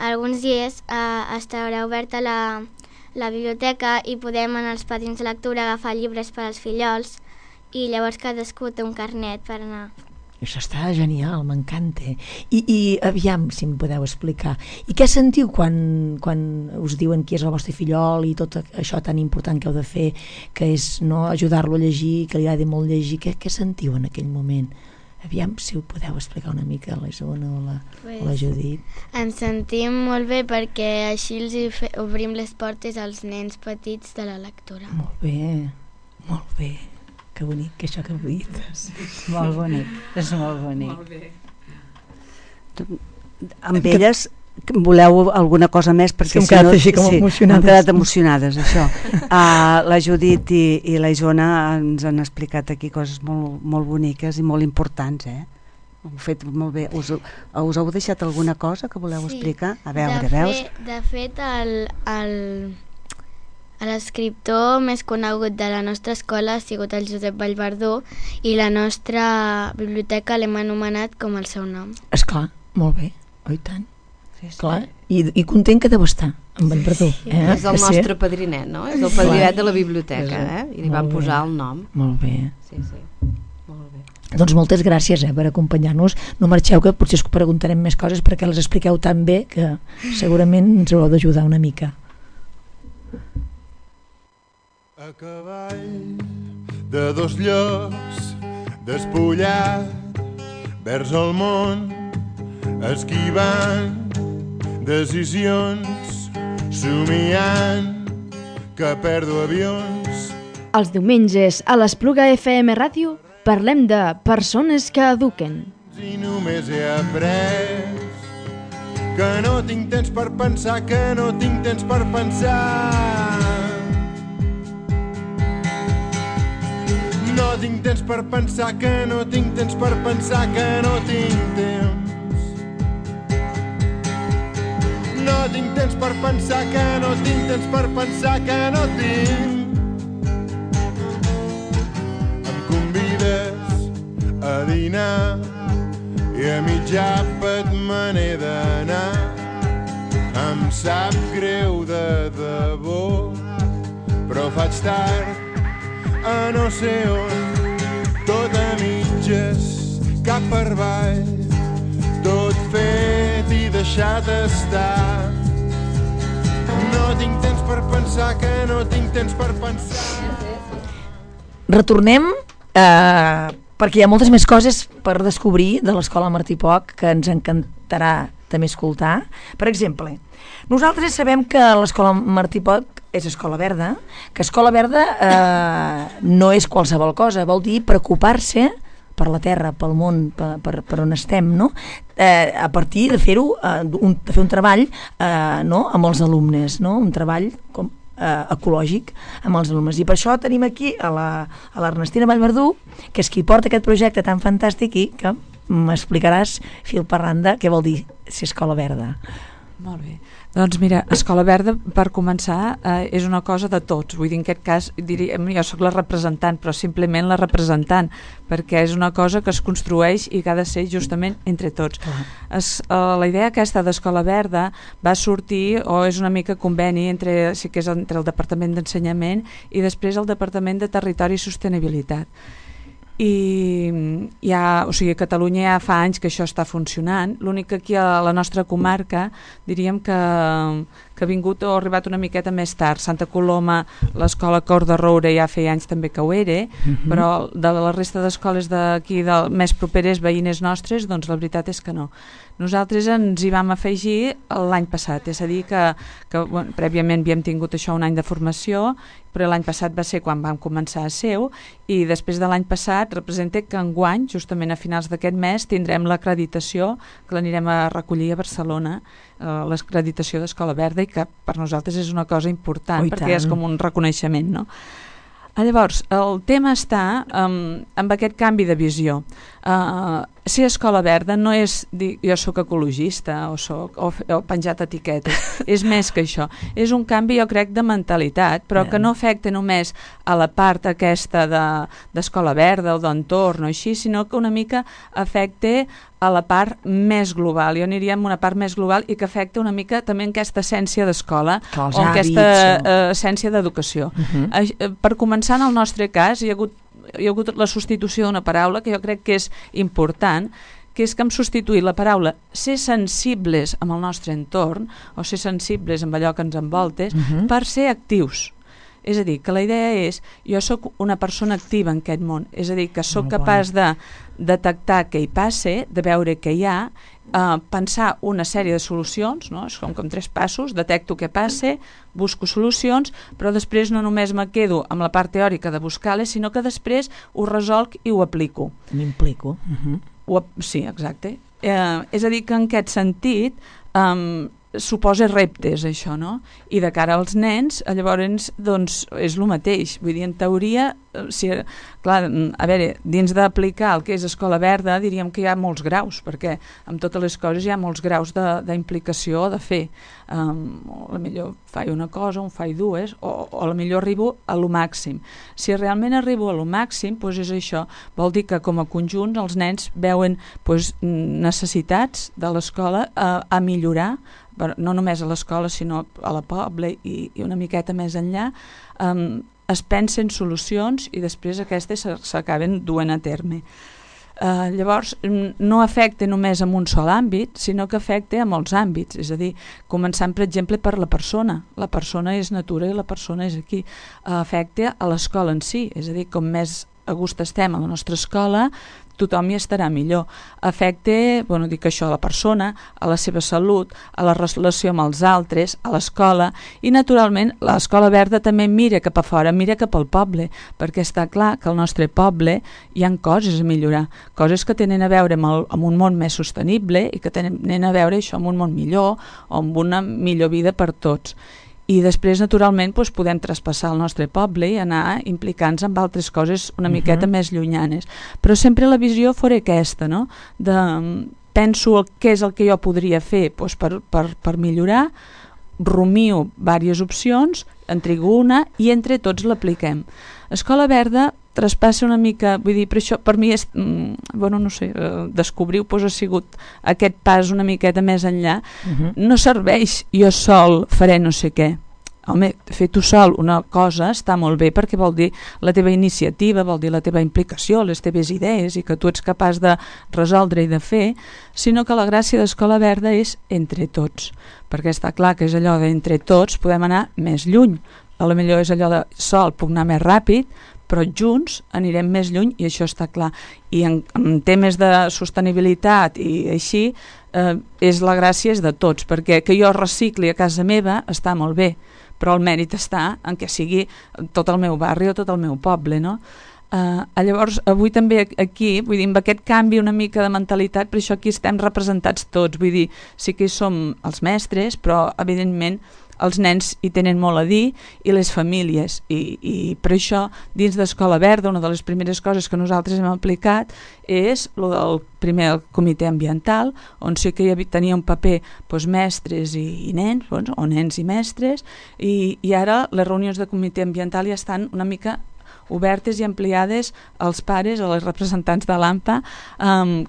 alguns dies estarà oberta la biblioteca i podem anar als patins de lectura a agafar llibres per als fillols, i llavors cadascú té un carnet per anar. Això està genial, m'encanta. I aviam, si em podeu explicar, i què sentiu quan us diuen qui és el vostre fillol i tot això tan important que heu de fer, que és no ajudar-lo a llegir, que li agrada molt llegir, què sentiu en aquell moment? Aviam, si ho podeu explicar una mica a la Isona o la Judit. Ens sentim molt bé perquè així els obrim les portes als nens petits de la lectura. Molt bé, molt bé. Que bonic, que això que heu dit. Molt bonic, és molt bonic. Molt bé. Amb elles voleu alguna cosa més? Perquè hem quedat així com emocionades. Hem quedat emocionades, això. La Judit i la Isona ens han explicat aquí coses molt boniques i molt importants, Ho heu fet molt bé. Us heu deixat alguna cosa que voleu explicar? A veure, veus? De fet, l'escriptor més conegut de la nostra escola ha sigut el Josep Vallverdú, i la nostra biblioteca l'hem anomenat com el seu nom. Esclar, molt bé, oi tant. Clar, i content que deu estar amb Vallverdú. És el nostre padrinet, no? És el padrinet de la biblioteca, i li van posar el nom. Molt bé. Sí, molt bé. Doncs moltes gràcies per acompanyar-nos. No marxeu, que potser us preguntarem més coses perquè les expliqueu tan bé que segurament ens haureu d'ajudar una mica. A cavall de dos llocs, despullat vers el món, esquivant decisions, somiant que perdo avions. Els diumenges a l'Espluga FM Ràdio parlem de persones que eduquen. I només he après que no tinc temps per pensar, que no tinc temps per pensar. No tinc temps per pensar, que no tinc temps per pensar, que no tinc temps. No tinc temps per pensar, que no tinc temps per pensar, que no tinc. Em convides a dinar i a mig àpat me n'he d'anar. Em sap greu de debò, però faig tard a no sé on, tot a mitges, cap per avall, tot fet i deixat estar. No tinc temps per pensar, que no tinc temps per pensar. Retornem perquè hi ha moltes més coses per descobrir de l'Escola Martí Poch que ens encantarà també escoltar. Per exemple, nosaltres sabem que l'Escola Martí Poch és escola verda, que escola verda no és qualsevol cosa, vol dir preocupar-se per la terra, pel món, per on estem, no? A partir de fer-ho, de fer un treball no? Amb els alumnes, no? Un treball ecològic amb els alumnes. I per això tenim aquí a l'Ernestina Vallverdú, que és qui porta aquest projecte tan fantàstic i que m'explicaràs fil per randa què vol dir ser escola verda. Molt bé. Doncs mira, Escola Verda, per començar, és una cosa de tots. Vull dir, en aquest cas, jo sóc la representant, però simplement la representant, perquè és una cosa que es construeix i que ha de ser justament entre tots. La idea aquesta d'Escola Verda va sortir, o és una mica conveni, entre el Departament d'Ensenyament i després el Departament de Territori i Sostenibilitat. I a Catalunya ja fa anys que això està funcionant. L'únic que aquí a la nostra comarca diríem que ha vingut o ha arribat una miqueta més tard. Santa Coloma, l'escola Cor de Roure ja feia anys també que ho era, però de la resta d'escoles d'aquí més properes, veïnes nostres, doncs la veritat és que no. Nosaltres ens hi vam afegir l'any passat, és a dir que prèviament havíem tingut això un any de formació, però l'any passat va ser quan vam començar a ser-ho, i després de l'any passat representa que enguany, justament a finals d'aquest mes, tindrem l'acreditació, que l'anirem a recollir a Barcelona, l'acreditació d'Escola Verda, i que per nosaltres és una cosa important, perquè és com un reconeixement, no? Llavors, el tema està amb aquest canvi de visió. Ser escola verda no és dir jo sóc ecologista o penjat etiquetes, és més que això. És un canvi, jo crec, de mentalitat, però que no afecta només a la part aquesta d'escola verda o d'entorn o així, sinó que una mica afecta a la part més global. Jo aniria amb una part més global i que afecta una mica també en aquesta essència d'escola o en aquesta essència d'educació. Per començar, en el nostre cas, hi ha hagut la substitució d'una paraula que jo crec que és important, que és que hem substituït la paraula ser sensibles amb el nostre entorn o ser sensibles amb allò que ens envoltes per ser actius. És a dir, que la idea és, jo sóc una persona activa en aquest món, és a dir, que sóc capaç de detectar què hi passa, de veure què hi ha, pensar una sèrie de solucions, no? És com 3 passos, detecto què passa, busco solucions, però després no només me quedo amb la part teòrica de buscar-les, sinó que després ho resolc i ho aplico. M'implico. Sí, exacte. És a dir, que en aquest sentit suposa reptes, això, no? I de cara als nens, llavors, doncs, és el mateix. Vull dir, en teoria, clar, a veure, dins d'aplicar el que és escola verda, diríem que hi ha molts graus, perquè amb totes les coses hi ha molts graus d'implicació de fer. A la millor faig una cosa, un faig dues, o a la millor arribo a lo màxim. Si realment arribo a lo màxim, doncs és això. Vol dir que com a conjunt els nens veuen necessitats de l'escola a millorar, no només a l'escola sinó a la poble i una miqueta més enllà, es pensen solucions i després aquestes s'acaben duent a terme. Llavors no afecta només en un sol àmbit, sinó que afecta a molts àmbits, és a dir, començant per exemple per la persona és natura i la persona és aquí, afecta a l'escola en si, és a dir, com més a gust estem a la nostra escola, tothom hi estarà millor. Afecta, dic això, a la persona, a la seva salut, a la relació amb els altres, a l'escola, i naturalment l'escola verda també mira cap a fora, mira cap al poble, perquè està clar que al nostre poble hi ha coses a millorar, coses que tenen a veure amb un món més sostenible i que tenen a veure això amb un món millor o amb una millor vida per tots. I després, naturalment, podem traspassar el nostre poble i anar implicant-nos amb altres coses una miqueta més llunyanes. Però sempre la visió fora aquesta, no? Penso què és el que jo podria fer per millorar, rumio diverses opcions, en trigo una i entre tots l'apliquem. Escola Verda traspassa una mica, vull dir, per això per mi és, no sé, descobrir-ho ha sigut aquest pas una miqueta més enllà. No serveix jo sol faré no sé què. Home, fer tu sol una cosa està molt bé perquè vol dir la teva iniciativa, vol dir la teva implicació, les teves idees i que tu ets capaç de resoldre i de fer, sinó que la gràcia d'Escola Verda és entre tots, perquè està clar que és allò d'entre tots podem anar més lluny. A lo millor és allò de sol puc anar més ràpid, però junts anirem més lluny i això està clar. I en temes de sostenibilitat i així, la gràcia és de tots, perquè que jo recicli a casa meva està molt bé, però el mèrit està en què sigui tot el meu barri o tot el meu poble, no? Llavors, avui també aquí, vull dir, amb aquest canvi una mica de mentalitat, per això aquí estem representats tots, vull dir, sí que hi som els mestres, però evidentment els nens hi tenen molt a dir i les famílies i per això dins d'Escola Verda una de les primeres coses que nosaltres hem aplicat és el primer comitè ambiental on sí que tenia un paper mestres i nens o nens i mestres i ara les reunions de comitè ambiental ja estan una mica obertes i ampliades als pares o als representants de l'AMPA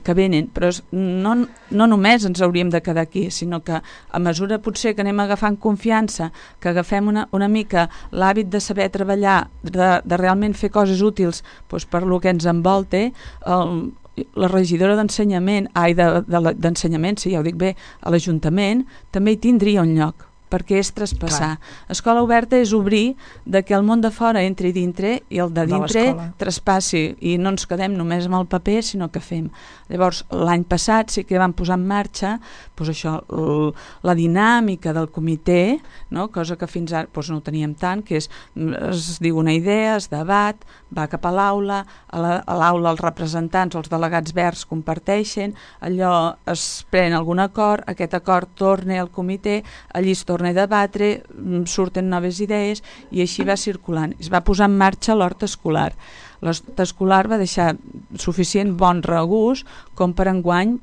que venen, però no només ens hauríem de quedar aquí, sinó que a mesura potser que anem agafant confiança, que agafem una mica l'hàbit de saber treballar, de realment fer coses útils per lo que ens envolta, la regidora d'ensenyament, d'ensenyament, sí, ja ho dic bé, a l'Ajuntament, també hi tindria un lloc, perquè és traspassar. Escola Oberta és obrir de que el món de fora entri dintre i el de dintre traspassi i no ens quedem només amb el paper sinó que fem. Llavors l'any passat sí que vam posar en marxa això, la dinàmica del comitè, no? Cosa que fins ara no ho teníem tant, que es diu una idea, es debat, va cap a l'aula, a l'aula els representants o els delegats verds comparteixen, allò es pren algun acord, aquest acord torna al comitè, allí es torna a debatre, surten noves idees i així va circulant. Es va posar en marxa l'hort escolar. L'hort escolar va deixar suficient bon regust com per enguany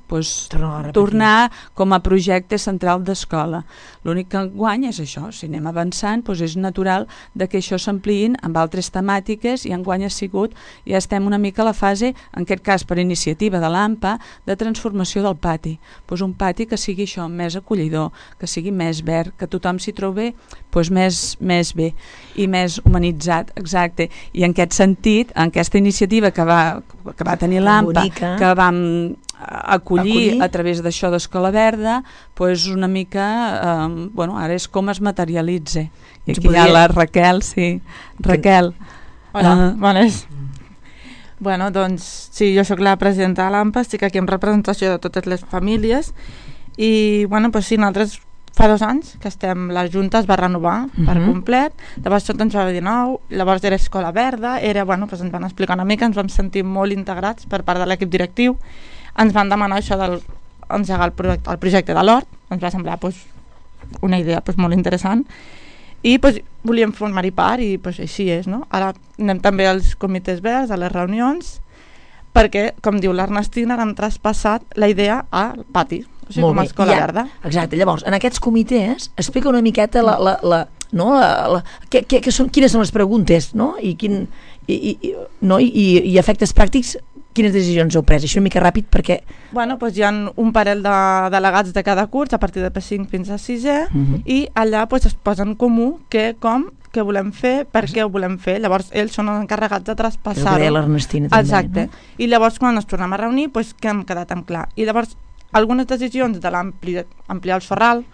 tornar com a projecte central d'escola. L'únic que enguany és això, si anem avançant és natural que això s'ampliïn amb altres temàtiques i enguany ja estem una mica a la fase, en aquest cas per iniciativa de l'AMPA, de transformació del pati. Un pati que sigui això, més acollidor, que sigui més verd, que tothom s'hi trobi més bé i més humanitzat, exacte. I en aquest sentit, en aquesta iniciativa que va tenir l'AMPA, que vam acollir a través d'això d'Escola Verda, una mica, ara és com es materialitza. I aquí hi ha la Raquel, sí. Raquel. Hola, bones. Doncs sí, jo sóc la presidenta de l'AMPA, estic aquí en representació de totes les famílies i sí, nosaltres fa 2 anys que la Junta es va renovar per complet, llavors tot ens va dir nou, llavors era Escola Verda, ens van explicar una mica, ens vam sentir molt integrats per part de l'equip directiu, ens van demanar això d'engegar el projecte de l'hort, ens va semblar una idea molt interessant i volíem formar-hi part i així és, no? Ara anem també als comitès verds, a les reunions, perquè, com diu l'Ernestina, hem traspassat la idea al pati, com a Escola Verda. Exacte, llavors, en aquests comitès explica una miqueta quines són les preguntes, no? I efectes pràctics, quines decisions heu pres? Això una mica ràpid perquè... Hi ha un parell de delegats de cada curs, a partir de P5 fins a 6è, i allà es posa en comú què volem fer, per què ho volem fer. Llavors ells són els encarregats de traspassar-ho. El que deia l'Ernestina també. Exacte. I llavors quan ens tornem a reunir, que hem quedat en clar. I llavors algunes decisions de ampliar el sorral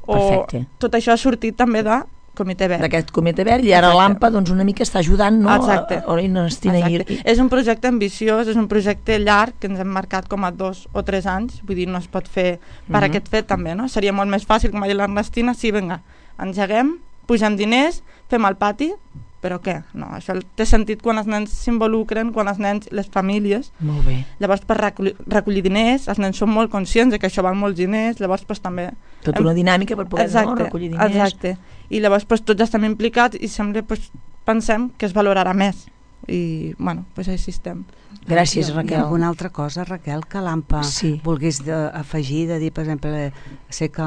o tot això ha sortit també de Comitè Verd. D'aquest Comitè Verd, i ara l'AMPA doncs, una mica està ajudant, no? Exacte. Exacte. És un projecte ambiciós, és un projecte llarg que ens hem marcat com a 2 o 3 anys, vull dir, no es pot fer per aquest fet també, no? Seria molt més fàcil, com ha dit l'Ernestina, sí, vinga, engeguem, pugem diners, fem el pati, però què? No, això té sentit quan els nens s'involucren, quan els nens, les famílies. Molt bé. Llavors, per recollir diners, els nens són molt conscients que això val molts diners, llavors pues, també... Tota una dinàmica per poder recollir diners. Exacte. I llavors pues, tots estem implicats i sempre pues, pensem que es valorarà més. I, bueno, pues així estem. Gràcies, Raquel. Hi ha alguna altra cosa, Raquel, que l'AMPA volgués afegir, de dir, per exemple, sé que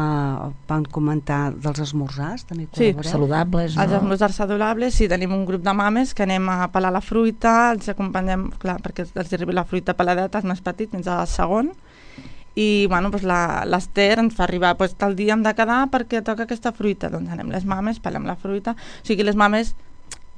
van comentar dels esmorzars, també col·laboreu? Sí, saludables, no? Els esmorzars saludables, sí, tenim un grup de mames que anem a pelar la fruita, els acompanyem, clar, perquè els arribi la fruita peladeta, els més petits, fins al segon, i bueno, doncs l'Ester ens fa arribar, doncs tal dia hem de quedar perquè toca aquesta fruita, doncs anem les mames, pelem la fruita, o sigui, les mames,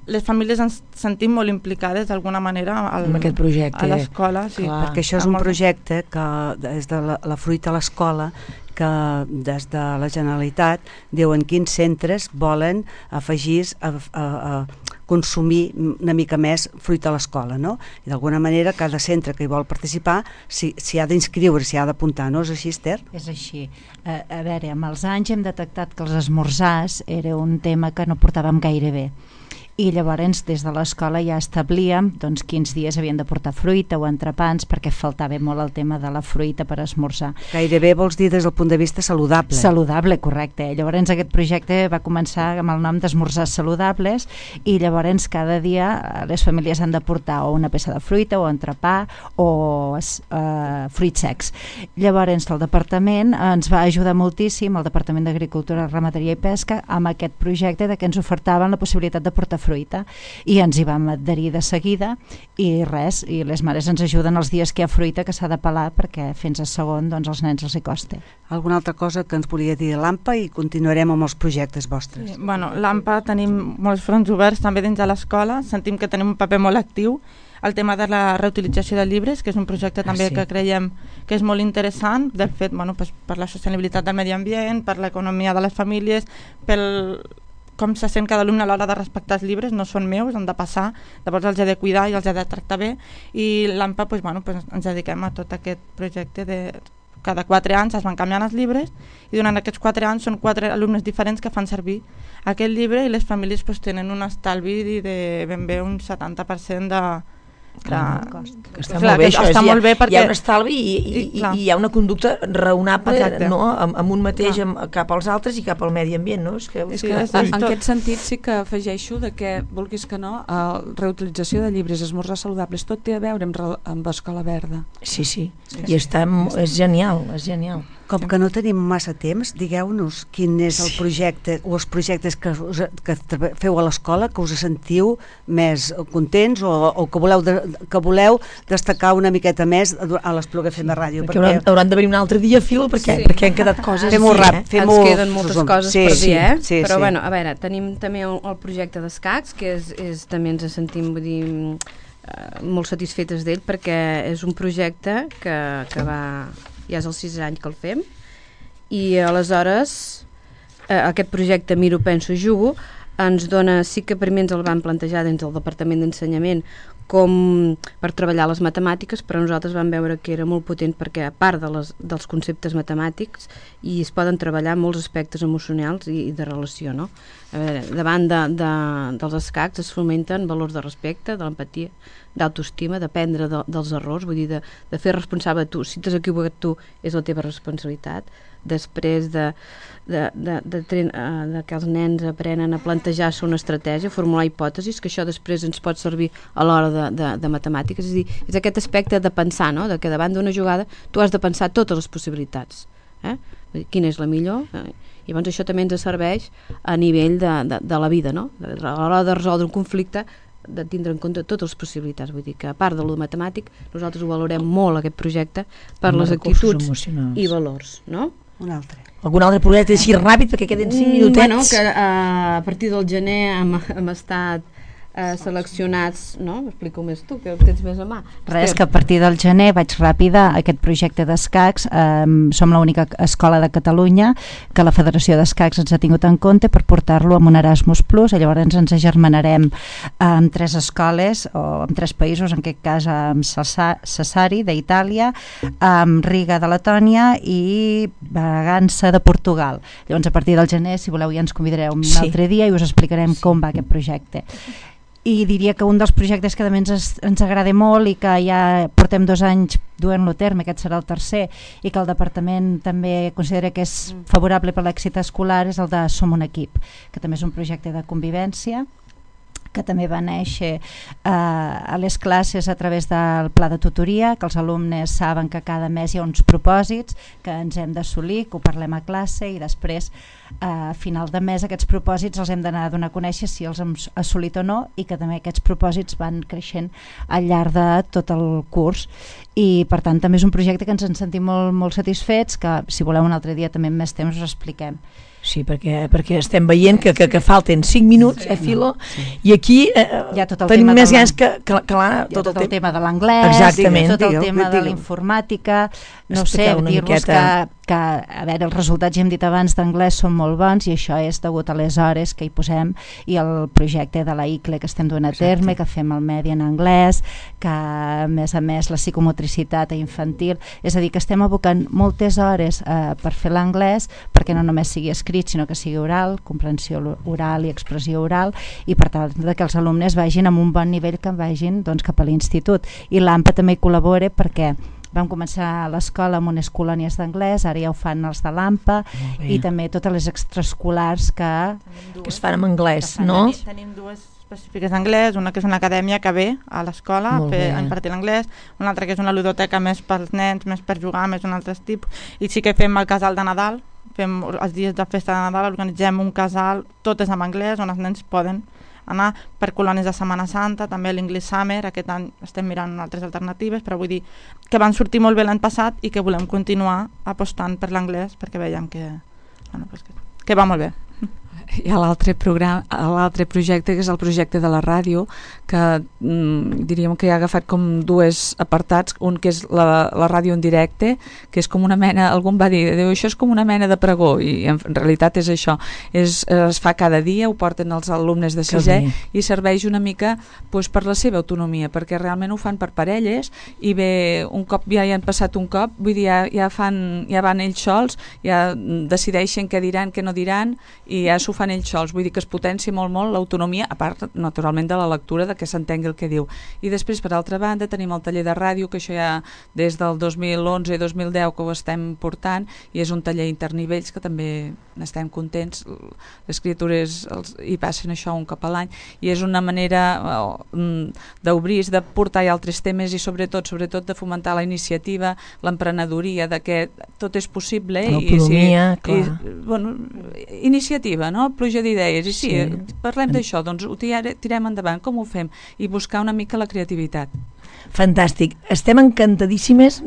les famílies ens sentim molt implicades d'alguna manera en aquest projecte, a l'escola, sí. Perquè això és un projecte que des de la fruita a l'escola, que des de la Generalitat diuen quins centres volen afegir a consumir una mica més fruita a l'escola, no? I d'alguna manera cada centre que hi vol participar s'hi ha d'inscriure, s'hi ha d'apuntar, no és així, Esther? És així. A veure, amb els anys hem detectat que els esmorzars era un tema que no portàvem gaire bé. I llavors des de l'escola ja establíem doncs, quins dies havien de portar fruita o entrepans, perquè faltava molt el tema de la fruita per esmorzar. Gairebé vols dir des del punt de vista saludable. Saludable, correcte. Llavors aquest projecte va començar amb el nom d'esmorzars saludables i llavors cada dia les famílies han de portar o una peça de fruita o entrepà o fruits secs. Llavors el departament ens va ajudar moltíssim, el Departament d'Agricultura, Ramaderia i Pesca, amb aquest projecte de que ens ofertaven la possibilitat de portar fruita i ens hi vam adherir de seguida i res, i les mares ens ajuden els dies que hi ha fruita que s'ha de pelar perquè fins a segon doncs als nens els hi costa. Alguna altra cosa que ens volia dir l'AMPA i continuarem amb els projectes vostres? Sí, bueno, l'AMPA tenim molts fronts oberts també dins de l'escola, sentim que tenim un paper molt actiu, el tema de la reutilització de llibres, que és un projecte també que creiem que és molt interessant, del fet, bueno, pues, per la sostenibilitat del medi ambient, per l'economia de les famílies, pel com se sent cada alumne a l'hora de respectar els llibres, no són meus, han de passar, llavors els he de cuidar i els he de tractar bé, i l'AMPA pues, bueno, pues, ens dediquem a tot aquest projecte de cada 4 anys es van canviant els llibres i durant aquests 4 anys són 4 alumnes diferents que fan servir aquest llibre i les famílies pues, tenen un estalvi de ben bé un 70% de que està molt bé, això està molt bé perquè hi ha un estalvi i hi ha una conducta raonable, no? Amb un mateix cap als altres i cap al medi ambient, no? En aquest sentit sí que afegeixo de que, vulguis que no, reutilització de llibres, esmorzars saludables, tot té a veure amb Escola Verda. Sí, i és genial, és genial. Com que no tenim massa temps, digueu-nos quin és el projecte o els projectes que feu a l'escola que us sentiu més contents o que voleu destacar una miqueta més a l'Espluga FM Ràdio. Perquè hauran de venir un altre dia, Filo, perquè han quedat coses... Fem-ho ràpid. Ens queden moltes coses per dir, Sí, però bueno, a veure, tenim també el projecte d'escacs, que també ens sentim, vull dir, molt satisfetes d'ell, perquè és un projecte que va... ja és el 6è any que el fem i aleshores aquest projecte Miro, Penso, Jugo ens dona, sí que primer ens el van plantejar dins del Departament d'Ensenyament com per treballar les matemàtiques, però nosaltres vam veure que era molt potent perquè a part dels conceptes matemàtics i es poden treballar molts aspectes emocionals i de relació, no? A veure, davant dels escacs es fomenten valors de respecte, de l'empatia, d'autoestima, d'aprendre dels errors, vull dir, de fer responsable tu. Si t'has equivocat tu, és la teva responsabilitat. Després de que els nens aprenen a plantejar-se una estratègia, formular hipòtesis, que això després ens pot servir a l'hora de matemàtiques. És a dir, és aquest aspecte de pensar, no? De que davant d'una jugada tu has de pensar totes les possibilitats. Quina és la millor? I llavors això també ens serveix a nivell de la vida, no? A l'hora de resoldre un conflicte, de tindre en compte totes les possibilitats. Vull dir que a part de lo matemàtic, nosaltres ho valorem molt, aquest projecte, per les actituds i valors, no? Un altre. Algun altre projecte així ràpid perquè queden 5 minutets? Bueno, que a partir del gener hem estat seleccionats, no? Explica-ho més tu, que ho tens més a mà. Res, que a partir del gener vaig ràpida aquest projecte d'escacs. Som l'única escola de Catalunya que la Federació d'Escacs ens ha tingut en compte per portar-lo amb un Erasmus+, i llavors ens agermanarem amb 3 escoles, o amb 3 països, en aquest cas amb Sassari d'Itàlia, amb Riga de Letònia i Bragança de Portugal. Llavors a partir del gener, si voleu, ja ens convidareu un altre dia i us explicarem com va aquest projecte. I diria que un dels projectes que també ens agrada molt i que ja portem 2 anys duent-lo a terme, aquest serà el tercer, i que el departament també considera que és favorable per l'èxit escolar, és el de Som un equip, que també és un projecte de convivència que també va néixer a les classes a través del pla de tutoria, que els alumnes saben que cada mes hi ha uns propòsits que ens hem d'assolir, que ho parlem a classe, i després a final de mes aquests propòsits els hem d'anar a donar a conèixer si els hem assolit o no, i que també aquests propòsits van creixent al llarg de tot el curs. I per tant també és un projecte que ens en sentim molt satisfets, que si voleu un altre dia també amb més temps us expliquem. Sí, perquè estem veient que falten 5 minuts, Filo, i aquí tenim més ganes que tot el tema de l'anglès, tot el tema de l'informàtica, no sé, dir-vos que a veure, els resultats, ja hem dit abans, d'anglès són molt bons, i això és degut a les hores que hi posem i al projecte de la ICLE que estem duent a terme, que fem el medi en anglès, que a més la psicomotricitat infantil, és a dir, que estem abocant moltes hores per fer l'anglès, perquè no només sigui escrit, sinó que sigui oral, comprensió oral i expressió oral, i per tant que els alumnes vagin amb un bon nivell, que vagin cap a l'institut. I l'AMPA també hi col·labora, perquè vam començar a l'escola amb unes colònies d'anglès, ara ja ho fan els de l'AMPA, i també totes les extraescolars que es fan en anglès, no? Tenim 2 específiques d'anglès, una que és una acadèmia que ve a l'escola a impartir l'anglès, una altra que és una ludoteca més pels nens, més per jugar, més un altre tipus, i sí que fem el casal de Nadal, fem els dies de festa de Nadal, organitzem un casal, tot és en anglès, on els nens poden anar per colònies de Setmana Santa, també l'English Summer, aquest any estem mirant altres alternatives, però vull dir que van sortir molt bé l'any passat i que volem continuar apostant per l'anglès, perquè veiem que va molt bé. Hi ha l'altre projecte, que és el projecte de la ràdio, que diríem que ha agafat com 2 apartats, un que és la ràdio en directe, que és com una mena, algú em va dir, això és com una mena de pregó, i en realitat és això, es fa cada dia, ho porten els alumnes de 6è, i serveix una mica per la seva autonomia, perquè realment ho fan per parelles, i bé, un cop ja hi han passat un cop, vull dir, ja van ells sols, ja decideixen què diran, què no diran, i ja s'ho fan ells sols, vull dir que es potencia molt l'autonomia, a part naturalment de la lectura, de que s'entengui el que diu. I després, per altra banda, tenim el taller de ràdio, que això ja des del 2011 i 2010 que ho estem portant, i és un taller internivells que també n'estem contents, les criatures hi passen això un cop a l'any, i és una manera d'obrir, de portar altres temes, i sobretot de fomentar la iniciativa, l'emprenedoria, de que tot és possible, l'autonomia, iniciativa, no? Pluja d'idees, i sí, parlem d'això, doncs ho tirem endavant, com ho fem? I buscar una mica la creativitat. Fantàstic, estem encantadíssimes.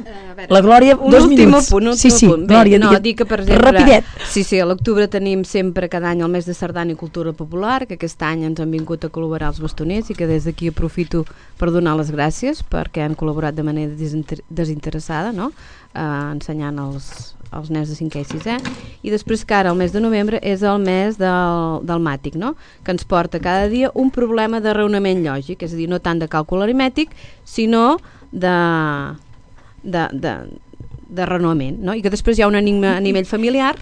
La Glòria, 2 minuts. Un últim punt. Glòria, dic que, per exemple, rapidet. Sí, a l'octubre tenim sempre cada any el mes de sardana i cultura popular, que aquest any ens han vingut a col·laborar els bastoners, i que des d'aquí aprofito per donar les gràcies, perquè han col·laborat de manera desinteressada, no? Ensenyant els nens de 5è i 6è, i després que ara el mes de novembre és el mes del màtic, no? Que ens porta cada dia un problema de raonament lògic, és a dir, no tant de càlcul aritmètic, sinó de raonament, no? I que després hi ha un enigma a nivell familiar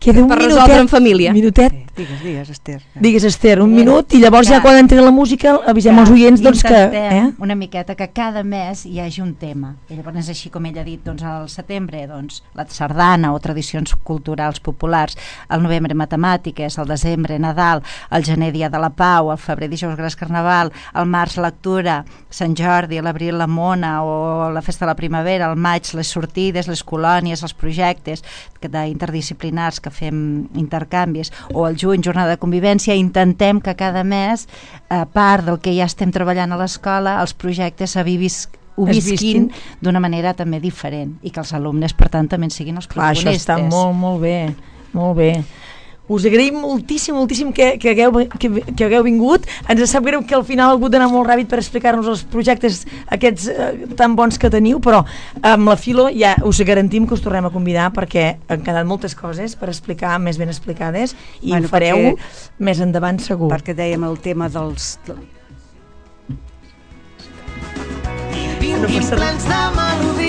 per resoldre en família. Minutet. Digues, Esther. Digues, Esther, un minut, i llavors ja quan entri la música avisem els oients que... una miqueta que cada mes hi hagi un tema. I llavors és així com ell ha dit, doncs al setembre la sardana o tradicions culturals populars, al novembre matemàtiques, al desembre Nadal, al gener dia de la Pau, al febrer dijous gras carnaval, al març lectura, Sant Jordi, a l'abril la mona o la festa de la primavera, al maig les sortides, les colònies, els projectes interdisciplinars que fem intercanvis, o al juny jornada de convivència. Intentem que cada mes, a part del que ja estem treballant a l'escola, els projectes ho visquin d'una manera també diferent, i que els alumnes per tant també siguin els protagonistes. Això està molt bé, molt bé. us agraïm moltíssim que hagueu vingut. Ens sap greu que al final ha hagut d'anar molt ràpid per explicar-nos els projectes aquests tan bons que teniu, però amb la Filo ja us garantim que us tornem a convidar perquè han quedat moltes coses per explicar més ben explicades i ho fareu més endavant segur. Perquè dèiem el tema dels... I vinguin plens de melodia